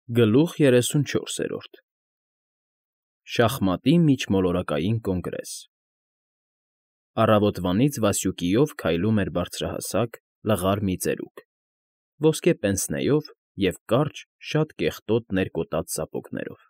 Գլուխ 34 Շախմատի միջմոլորակային կոնգրես Առավոտվանից Վասյուկիով քայլում էր բարձրահասակ, լղար մի ծերուկ, ոսկե պենսնեով և կարճ, շատ կեղտոտ ներկոտած սապոգներով.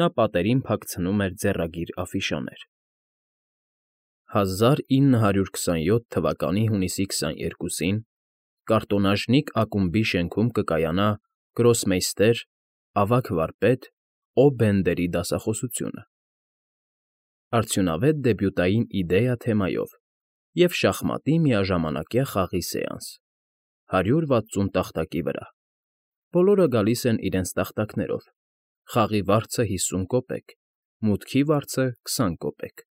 նա պատերին փակցնում էր ձեռագիր աֆիշաներ. 1927 թվականի հունիսի 22-ին կարտոնաժնիկ ակումբի շենքում կկայանա գրոսմեյստեր, ավագ վարպետ Օ. Բենդերի դասախոսությունը, արդյունավետ դեբյուտային իդեա թեմայով և շախմատի միաժամանակյա խաղի սեանս, 160 տախտակի վրա, բոլորը գալիս են իրենց տախտակներով, խաղի վարձը 50 կոպեկ, մուտքի վարձը 20 կոպեկ,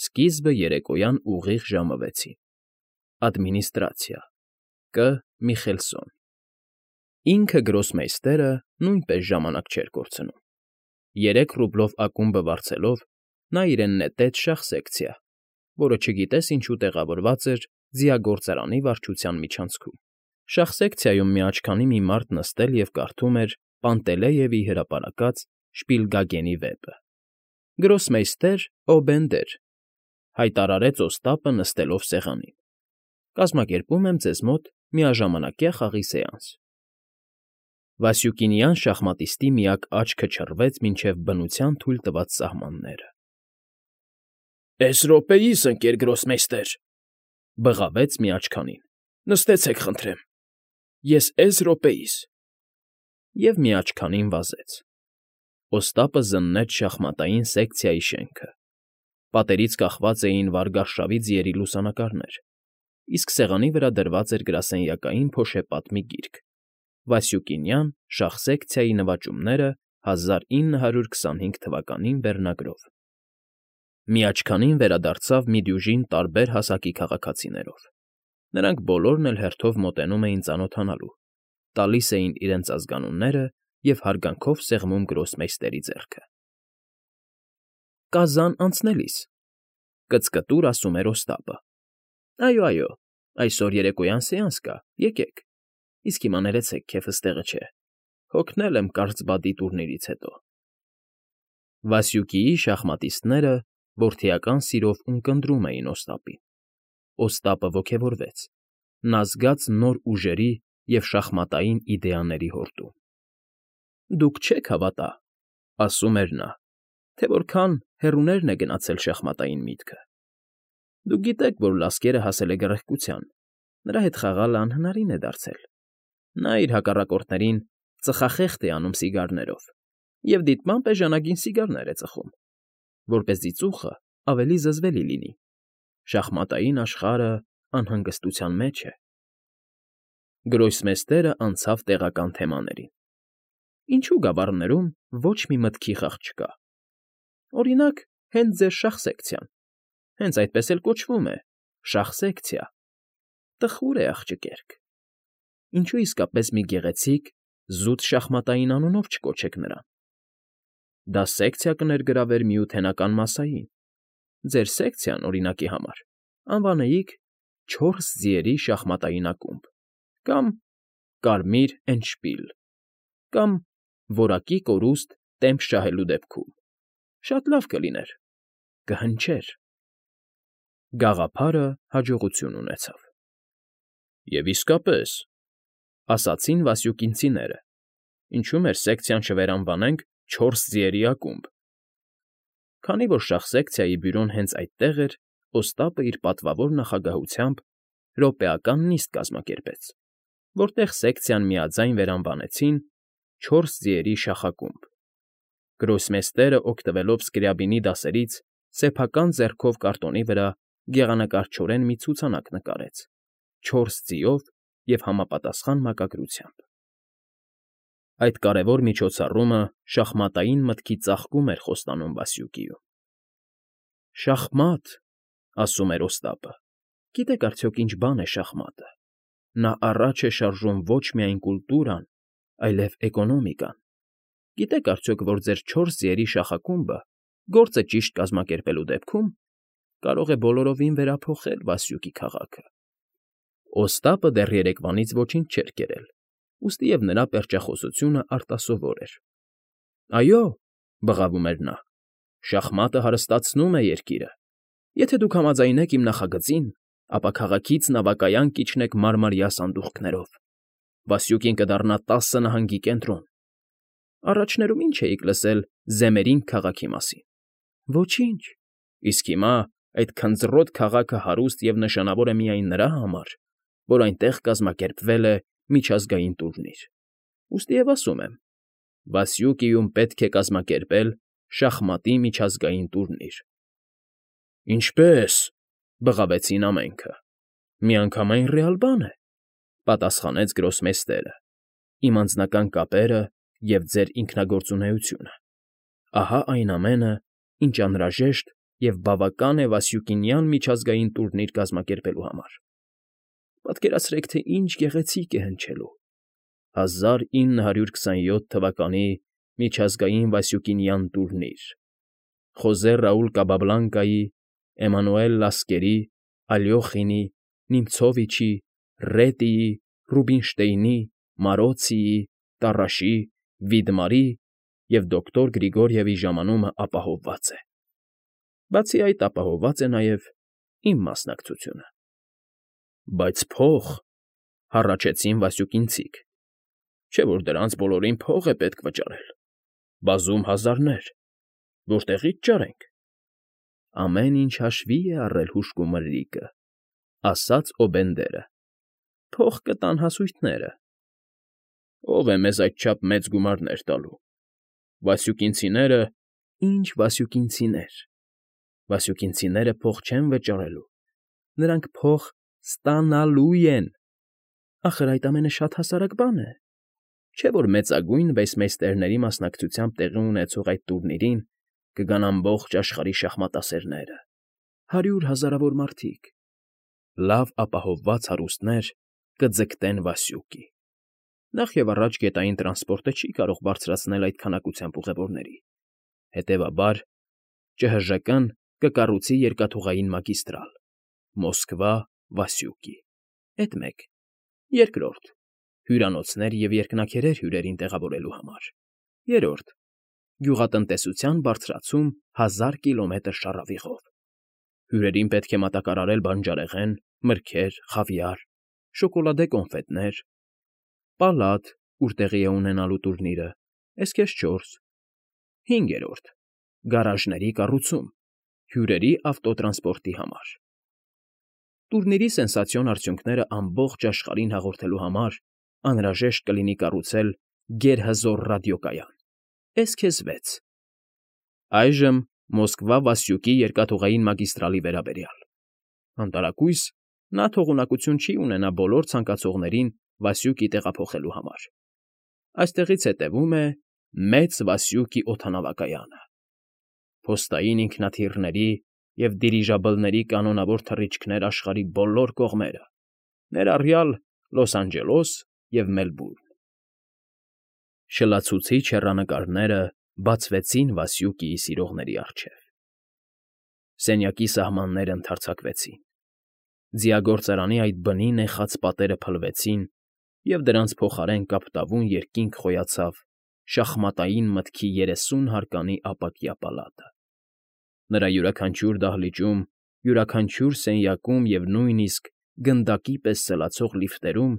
սկիզբը երեկոյան ուղիղ ժամը 6-ին, ադմինիստրացիա, Կ. Միխելսոն։ Ինքը գրոսմեյստերը նույնպես ժամանակ չէր կորցնում. 3 ռուբլով ակումբը վարձելով, նա իրեն նետեց շախ֊սեկցիա, որը չգիտես ինչու տեղավորված էր ձիագործարանի վարչության միջանցքում. շախ֊սեկցիայում միաչքանի մի մարդ նստել և կարդում էր Պանտելեևի հրապարակած Շպիլգագենի վեպը։ Գրոսմեյստեր Օ. Բենդեր, հայտարարեց Օստապը նստելով սեղանին, կազմակերպում եմ ձեզ մոտ միաժամանակյա խաղի սեանս։ Վասյուկինյան շախմատիստի միակ աչքը չռվեց մինչև բնության թույլ տված սահմանները։ «Էս րոպեիս, ընկեր գրոսմեյստեր,֊ բղավեց միաչքանին,֊ նստեցեք, խնդրեմ, ես էս րոպեիս…» և միաչքանին վազեց։ Օստապը զննեց շախմատային սեկցիայի շենքը, պատերից կախված էին վարգարշավի ձիերի լուսանկարներ, իսկ սեղանի վրա դրված էր գրասենյակային փոշեպատ մի գիրք՝ Վասյուկինյան շախ֊սեկցիայի նվաճումները 1925 թվականին վերնագրով։ Միաչքանին վերադարձավ մի դյուժին տարբեր հասակի քաղաքացիներով. նրանք բոլորն էլ հերթով մոտենում էին ծանոթանալու, տալիս էին իրենց ազգանունները և հարգանքով սեղմում գրոսմեյստերի ձեռքը։ «Կազան անցնելիս,֊ կծկտուր ասում էր Օստապը,֊ այո, այո, այսօր երեկոյան սեանս կա, եկեք, իսկ հիմա ներեցեք, քեֆս տեղը չէ, հոգնել եմ կարծբադի տուրնիրից հետո»։ Վասյուկիի շախմատիստները որդիական սիրով ունկնդրում էին Օստապին։ Օստապը ոգևորվեց, նա զգաց նոր ուժերի և շախմատային իդեաների հորդում։ «Դուք չեք հավատա,֊ ասում էր նա,֊ թե որքան հեռուներն է գնացել շախմատային միտքը։ Դուք գիտեք, որ Լասկերը հասել է գռեհկության, նրա հետ խաղալը անհնարին է դարձել։ Նա իր հակառակորդներին ծխախեղտ է անում սիգարներով և դիտմամբ էժանագին սիգարներ է ծխում, որպեսզի ծուխը ավելի զզվելի լինի։ Շախմատային աշխարհը անհանգստության մեջ է»։ Գրոսմեյստերը անցավ տեղական թեմաներին. «Ինչու գավառներում ոչ մի մտքի խաղ չկա։ Օրինակ, հենց ձեր շախ֊սեկցիան, հենց այդպես էլ կոչվում է՝ շախ֊սեկցիա, տխուր է, աղջկերք։ Ինչու իսկապես մի գեղեցիկ, զուտ շախմատային անունով չկոչեք նրան։ Դա սեկցիա կներգրավեր Միութենական մասսային, ձեր սեկցիան, օրինակի համար, անվանեիք «Չորս ձիերի շախմատային ակումբ» կամ «Կարմիր էնդշպիլ» կամ «Որակի կորուստ տեմպ շահելու դեպքում»։ Շատ լավ կլիներ, կհնչեր»։ Գաղափարը հաջողություն ունեցավ։ «Եվ իսկապես,֊ ասացին վասյուկինցիները,֊ ինչու մեր սեկցիան չվերանվանենք «Չորս ձիերի ակումբ»։ Քանի որ շախ֊սեկցիայի բյուրոն հենց այդտեղ էր, Օստապը իր պատվավոր նախագահությամբ րոպեական նիստ կազմակերպեց, որտեղ սեկցիան միաձայն վերանվանեցին «Չորս ձիերի շախակումբ»։ Գրոսմեյստերը, օգտվելով Սկրյաբինի դասերից, սեփական ձեռքով կարտոնի վրա գեղանկարչորեն մի ցուցանակ նկարեց՝ 4 ձիով և համապատասխան մակագրությամբ։ Այդ կարևոր միջոցառումը շախմատային մտքի ծաղկում էր խոստանում Վասյուկիում։ «Շախմատ,֊ ասում էր Օստապը,֊ գիտեք արդյոք ինչ բան է շախմատը։ Նա առաջ է շարժում ոչ միայն կուլտուրան, այլև էկոնոմիկան։ Գիտեք արդյոք, որ ձեր 4 ձիերի շախակումբը գործը ճիշտ կազմակերպելու դեպքում կարող է բոլորովին վերափոխել Վասյուկի քաղաքը»։ Օստապը դեռ երեկվանից ոչինչ չէր կերել, ուստի և նրա պերճախոսությունը արտասովոր էր։ Այո, բղավում էր նա, շախմատը հարստացնում է երկիրը։ Եթե դուք համաձայնեք իմ նախագծին, ապա քաղաքից նավակայան կիջնեք մարմարյա սանդուղքներով։ Վասյուկին կդառնա 10 նահանգի կենտրոն։ Առաջներում ինչ էիք լսել Զեմերինգ քաղաքի մասին։ Ոչինչ։ Իսկ հիմա այդ քնձռոտ քաղաքը հարուստ և նշանավոր է միայն նրա համար, որ այնտեղ կազմակերպվել է միջազգային տուրնիր։ Ուստի և ասում եմ, Վասյուկիում պետք է կազմակերպել շախմատի միջազգային տուրնիր։ Ինչպե՞ս, բղավեցին ամենքը։ Միանգամայն ռեալ բան է, պատասխանեց գրոսմեյստերը, իմ անձնական կապերը և ձեր ինքնագործունեությունը։ Ահա այն ամենը, ինչ անհրաժեշտ և բավական է Վասյուկինյան միջազգային տուրնիր կազմակերպելու համար։ Պատկերացրեք, թե ինչ գեղեցիկ է հնչելու 1927 թվականի միջազգային Վասյուկինյան տուրնիր։ Խոզե Ռաուլ Կաբաբլանկայի, Էմանուել Լասկերի, Ալյոխինի, Նիմցովիչի, Ռետիի, Ռուբինշտեյնի, Մարոցիի, Տառաշի, Վիդմարի և դոկտոր Գրիգորիևի ժամանումը ապահովված է։ Բացի այդ, ապահովված է նաև իմ մասնակցությունը։ Բայց փող, հառաչեցին Վասյուկինցիք, չէ՞ որ դրանց բոլորին փող է պետք վճարել, բազում հազարներ, որտեղի՞ց ճարենք։ Ամեն ինչ հաշվի է առել հուժկու մրրիկը, ասաց Օբենդերը։ Փող կտան հասույթները։ Ո՞վ է մեզ այդչափ մեծ գումարներ տալու։ Վասյուկինցիները։ Ինչ Վասյուկինցիներ։ Վասյուկինցիները փող չեն վճարելու, նրանք փող ստանալու են։ Ախր այդ ամենը շատ հասարակ բան է։ Չէ՞ որ մեծագույն վեյսմեյստերների մասնակցությամբ տեղի ունեցող այդ տուրնիրին կգան ամբողջ աշխարհի շախմատասերները, 100 հազարավոր մարդիկ։ Լավ ապահովված հարուստներ կձգտեն Վասյուկի։ Նախ և առաջ գետային տրանսպորտը չի կարող բարձրացնել այդ քանակությամբ ուղևորների։ Հետևաբար ՃՀԺԿ-ն կկառուցի երկաթուղային մագիստրալ Մոսկվա, Վասյուկի։ Էդ մեկ։ Երկրորդ՝ հյուրանոցներ և երկնաքերեր հյուրերին տեղավորելու համար։ Երրորդ՝ գյուղատնտեսության բարձրացում 1000 կիլոմետր շառավիղով։ Հյուրերին պետք է մատակարարել բանջարեղեն, մրգեր, խավիար, շոկոլադե կոնֆետներ։ Պալատ, ուր տեղի է ունենալու տուրնիրը, էսքեզ 4։ Հինգերորդ՝ գարաժների կառուցում, հյուրերի ավտոտրանսպորտի համար։ Տուրնիրի սենսացիոն արդյունքները ամբողջ աշխարհին հաղորդելու համար անհրաժեշտ կլինի կառուցել գերհզոր ռադիոկայան, էսքեզ 6։ Այժմ Մոսկվա֊Վասյուկի երկաթուղային մագիստրալի վերաբերյալ։ Անտարակույս նա թողունակություն չի ունենա բոլոր ցանկացողներին Վասյուկի տեղափոխելու համար։ Այստեղից հետևում է Մեծ Վասյուկի օդանավակայանը։ Փոստային ինքնաթիռների և դիրիժաբլների կանոնավոր թռիչքներ աշխարհի բոլոր կողմերը, ներառյալ Լոս Անջելոս և Մելբուրն։ Շլացուցիչ հեռանկարները բացվեցին Վասյուկիի սիրողների առջև։ Սենյակի սահմաններն ընդարձակվեցին։ Ձիագործարանի այդ բնի նեխած պատերը փլվեցին, և դրանց փոխարեն կապտավուն երկինք խոյացավ շախմատային մտքի 30 հարկանի ապակյա պալատը։ Նրա յուրաքանչյուր դահլիճում, յուրաքանչյուր սենյակում և նույնիսկ գնդակի պես սլացող լիֆտերում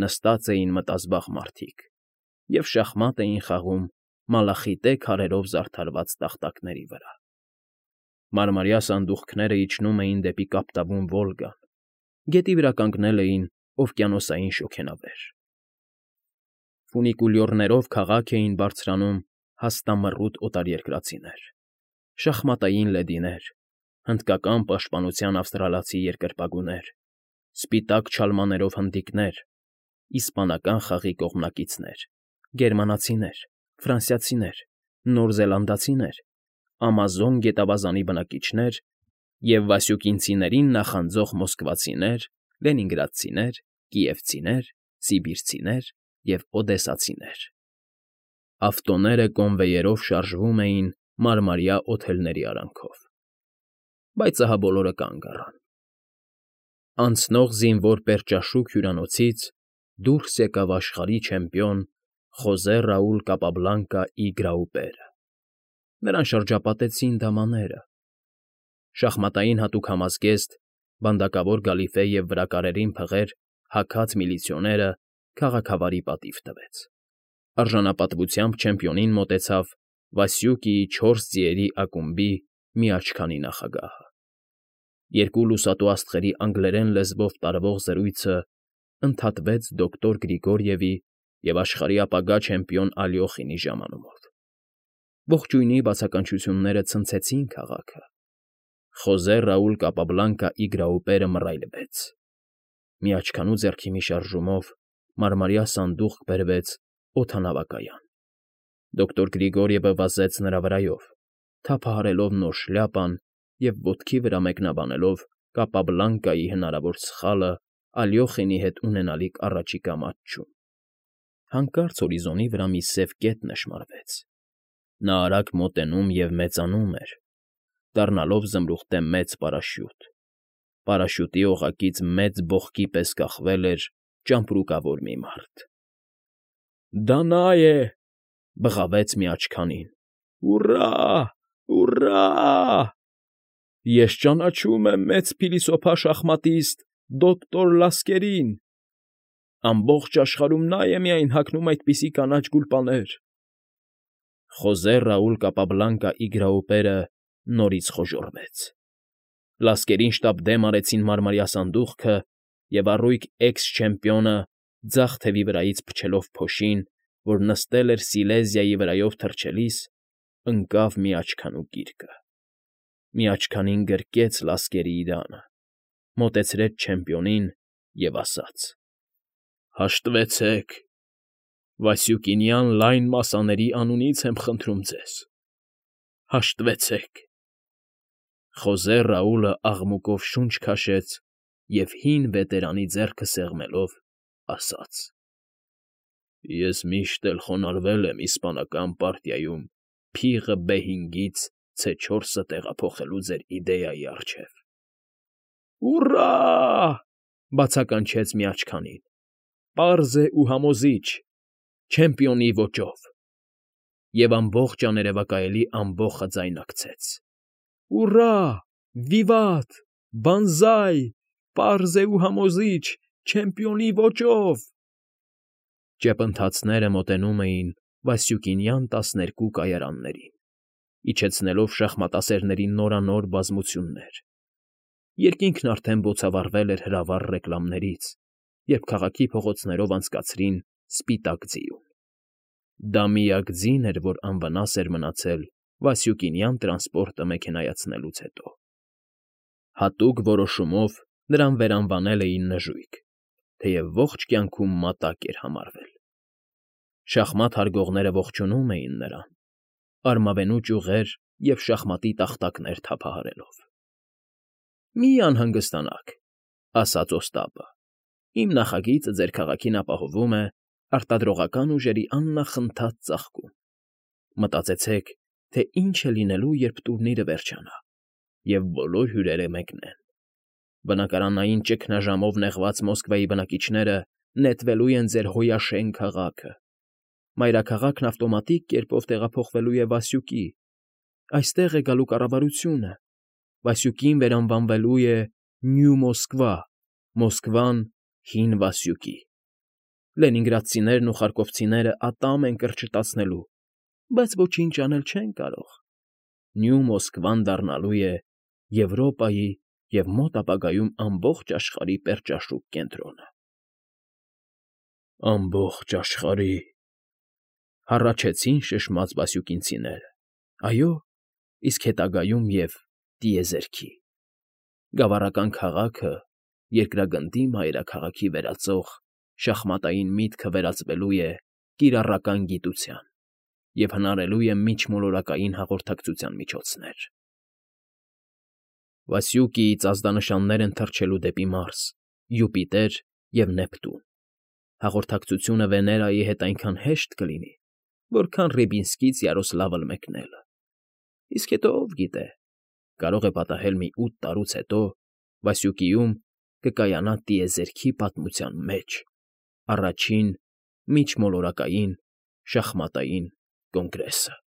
նստած էին մտազբաղ մարդիկ և շախմատ էին խաղում մալախիտե քարերով զարդարված տախտակների վրա։ Մարմարյա սանդուղքները իջնում էին դեպի կապտավուն Վոլգան, գետի վրա կանգնել էին օվկիանոսային շոգենավեր։ Ֆունիկուլյորներով քաղաք էին բարձրանում հաստամռութ օտարերկրացիներ, շախմատային լեդիներ, հնդկական պաշտպանության ավստրալացի երկրպագուներ, սպիտակ չալմաներով հնդիկներ, իսպանական խաղի կողմնակիցներ, գերմանացիներ, ֆրանսիացիներ, նորզելանդացիներ, ամազոն գետավազանի բնակիչներ և վասյուկինցիներին նախանձող մոսկվացիներ, լենինգրադցիներ, կիևցիներ, սիբիրցիներ և օդեսացիներ։ Ավտոները կոնվեյերով շարժվում էին մարմարյա օթելների արանքով։ Բայց ահա բոլորը կանգ առան։ Անցնող զինվոր պերճաշուք հյուրանոցից դուրս եկավ աշխարհի չեմպիոն Խոզե Ռաուլ Կապաբլանկա ի Գրաուպերը. նրան շրջապատեցին դամաները, շախմատային հատուկ համազգեստ, բանդակավոր գալիֆե և վրակարերին փղեր հագած միլիցիոները քաղաքավարի պատիվ տվեց. արժանապատվությամբ չեմպիոնին մոտեցավ Վասյուկիի 4 ձիերի ակումբի մի աչքանի նախագահը. երկու լուսատու աստղերի անգլերեն լեզվով տարվող զրույցը ընդհատվեց դոկտոր Գրիգորիևի և աշխարհի ապագա չեմպիոն Ալյոխինի ժամանումով. ողջույնի բացականչությունները ցնցեցին քաղաքը. Խոզե Ռաուլ Կապաբլանկա ի Գրաուպերը մռայլվեց. մի աչքանու ձեռքի մի շարժումով մարմարյա սանդուղք բերվեց օդանավակայան. դոկտոր Գրիգորիևը վազեց նրա վրայով, թափահարելով նոր շլյապան և ոտքի վրա մեկնաբանելով Կապաբլանկայի հնարավոր սխալը Ալյոխինի հետ ունենալիք առաջիկա մատչում. հանկարծ հորիզոնի վրա մի սև կետ նշմարվեց. նա արագ մոտենում և մեծանում էր, դառնալով զմրուխտե մեծ պարաշյուտ. պարաշյուտի օղակից մեծ բողկի պես կախվել էր ճամպրուկավոր մի մարդ։ Դա նա է,֊ բղավեց մի աչքանին։ Ուռա՜, ուռա՜… Ես ճանաչում եմ մեծ փիլիսոփա շախմատիստ դոկտոր Լասկերին… Ամբողջ աշխարհում նա է միայն հագնում այդպիսի կանաչ գուլպաներ… Խոզե Ռաուլ Կապաբլանկա ի Գրաուպերը նորից խոժոռվեց։ Լասկերին շտապ դեմ արեցին մարմարյա սանդուղքը, և առույգ էքս֊չեմպիոնը, ձախ թևի վրայից փչելով փոշին, որ նստել էր Սիլեզիայի վրայով թռչելիս, ընկավ մի աչքանու գիրկը։ Մի աչքանին գրկեց Լասկերի իրանը, մոտեցրեց չեմպիոնին և ասաց. «Հաշտվեցեք… Վասյուկինյան լայն մասաների անունից եմ խնդրում ձեզ… Հաշտվեցեք…» Խոզե Ռաուլը աղմուկով շունչ քաշեց և հին վետերանի ձեռքը սեղմելով ասաց. «Ես միշտ էլ խոնարհվել եմ իսպանական պարտիայում փիղը B5-ից C4-ը տեղափոխելու ձեր իդեայի առջև»։ Ուռա՜, բացականչեց մի աչքանին, պարզ է ու համոզիչ, չեմպիոնի ոճով, և ամբողջ աներևակայելի ամբոխը ձայնարկեց. Ուռա, վիվատ, բանզայ, պարզ է ու համոզիչ, չեմպիոնի ոճով… Ճեպընթացները մոտենում էին Վասյուկինյան 12 կայարաններին, իջեցնելով շախմատասերների նորանոր բազմություններ. երկինքն արդեն բոցավառվել էր հրավառ ռեկլամներից, երբ քաղաքի փողոցներով անցկացրին սպիտակ ձիուն. դա միակ ձին էր, որ անվնաս էր մնացել Վասյուկինյան տրանսպորտը մեքենայացնելուց հետո։ Հատուկ որոշումով նրան վերանվանել էին նժույգ, թեև ողջ կյանքում մատակ էր համարվել։ Շախմատ հարգողները ողջունում էին նրան, արմավենու ճյուղեր և շախմատի տախտակներ թափահարելով։ «Մի անհանգստանաք,֊ ասաց Օստապը,֊ իմ նախագիծը ձեր քաղաքին ապահովում է արտադրողական ուժերի աննախընթաց ծաղկում։ Մտածեցեք, թե ինչ է լինելու, երբ տուրնիրը վերջանա, և բոլոր հյուրերը մեկնեն։ Բնակարանային ճգնաժամով նեղված Մոսկվայի բնակիչները նետվելու են ձեր հոյաշեն քաղաքը։ Մայրաքաղաքն ավտոմատիկ կերպով տեղափոխվելու է Վասյուկի։ Այստեղ է գալու կառավարությունը։ Վասյուկին վերանվանվելու է Նյու Մոսկվա, Մոսկվան՝ Հին Վասյուկի։ Լենինգրադցիներն ու խարկովցիները ատամ են կրճտացնելու, բայց ոչինչ անել չեն կարող։ Նյու Մոսկվան դառնալու է Եվրոպայի և մոտ ապագայում ամբողջ աշխարհի պերճաշուք կենտրոնը։ Ամբողջ աշխարհի…֊ հառաչեցին շշմած վասյուկինցիները, այո, իսկ հետագայում և տիեզերքի… Գավառական քաղաքը երկրագնդի մայրաքաղաքի վերածող շախմատային միտքը վերածվելու է կիրառական գիտության և հնարելու է միջմոլորակային հաղորդակցության միջոցներ։ Վասյուկիից ազդանշաններ են թռչելու դեպի Մարս, Յուպիտեր և Նեպտուն։ Հաղորդակցությունը Վեներայի հետ այնքան հեշտ կլինի, որքան Ռիբինսկից Յարոսլավլ մեկնելը։ Իսկ հետո, ով գիտե, կարող է պատահել մի 8 տարուց հետո Վասյուկիում կկայանա տիեզերքի պատմության մեջ Առաջին, միջմոլորակային, շախմատային կոնգրեսը։